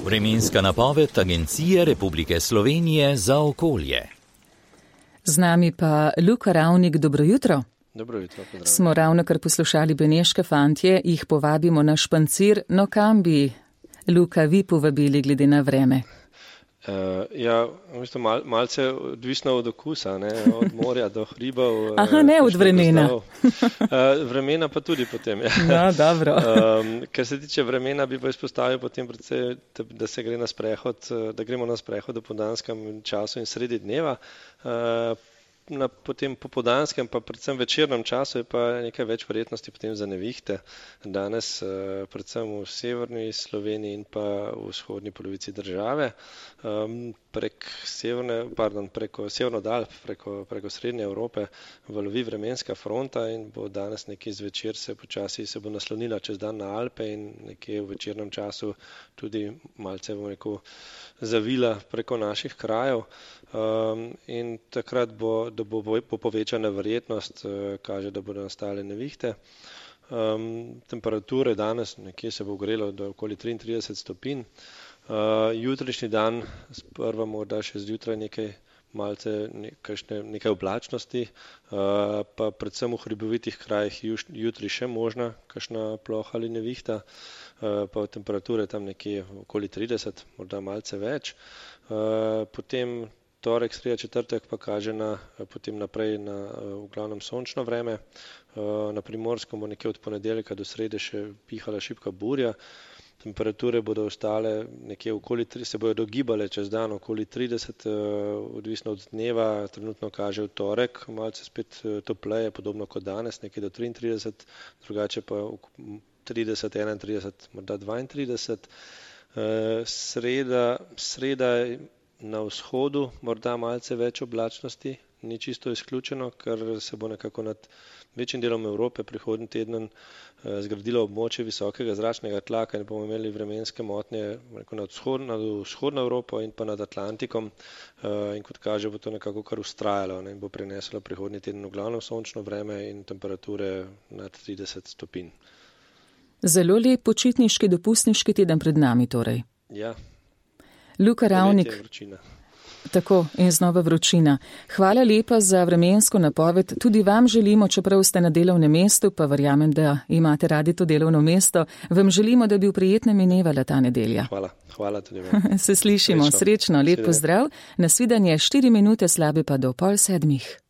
Vremenska napoved Agencije Republike Slovenije za okolje. Z nami pa Luka Ravnik, dobro jutro. Dobro jutro, pozdravljeni. Smo ravnokar poslušali Beneške fantje, jih povabimo na špancir, no kam bi Luka vi povabili glede na vreme? Malce odvisno od okusa, ne? Od morja do hribov. Aha, ne od vremena. Vremena pa tudi potem. Ja. No, dobro. Kar se tiče vremena, bi pa izpostavil potem predvsej, da se gre na sprehod, da gremo na sprehod v popoldanskem času in sredi dneva. Na potem popoldanskem, pa predvsem večernem času je pa nekaj več verjetnosti potem za nevihte. Danes predvsem v severni Sloveniji in pa v vzhodni polovici države. Preko Severnega Alp, preko Srednje Evrope valovi vremenska fronta in bo danes nekje zvečer se bo naslonila čez dan na Alpe in nekje v večernem času tudi malce, bom rekel, zavila preko naših krajev. In takrat bo povečana verjetnost, kaže, da bodo nastale nevihte. Temperature danes nekje se bo ogrelo do okoli 33 stopinj. Jutrišnji dan sprva morda še zjutraj nekaj oblačnosti, pa predvsem v hribovitih krajih jutri še možna kakšna ploha ali nevihta, pa temperature tam nekje okoli 30, morda malce več. Potem torek, sreda, četrtek pa kaže potem naprej na v glavnem sončno vreme. Na Primorskem bo nekje od ponedeljka do srede še pihala šibka burja. Temperature bodo ostale nekje se bodo dogibale čez dan okoli 30, odvisno od dneva. Trenutno kaže v torek, malce spet topleje, podobno kot danes, nekje do 33, drugače pa 30, 31, morda 32. Sreda na vzhodu morda malce več oblačnosti, ni čisto izključeno, ker se bo nekako nad večjim delom Evrope prihodnji teden zgradilo območje visokega zračnega tlaka in bomo imeli vremenske motnje nad vzhodno Evropo in pa nad Atlantikom. In kot kaže, bo to nekako kar vztrajalo in bo prineslo prihodnji teden v glavnem sončno vreme in temperature nad 30 stopinj. Zelo lep počitniški, dopustniški teden pred nami torej. Ja. Luka Ravnik. Tako, in znova vročina. Hvala lepa za vremensko napoved. Tudi vam želimo, čeprav ste na delovnem mestu, pa verjamem, da imate radi to delovno mesto, vam želimo, da bi v prijetnem minevala ta nedelja. Hvala tudi vam. Se slišimo, srečno, lep pozdrav. Nasvidenje 4 minute slabe pa do 6:30.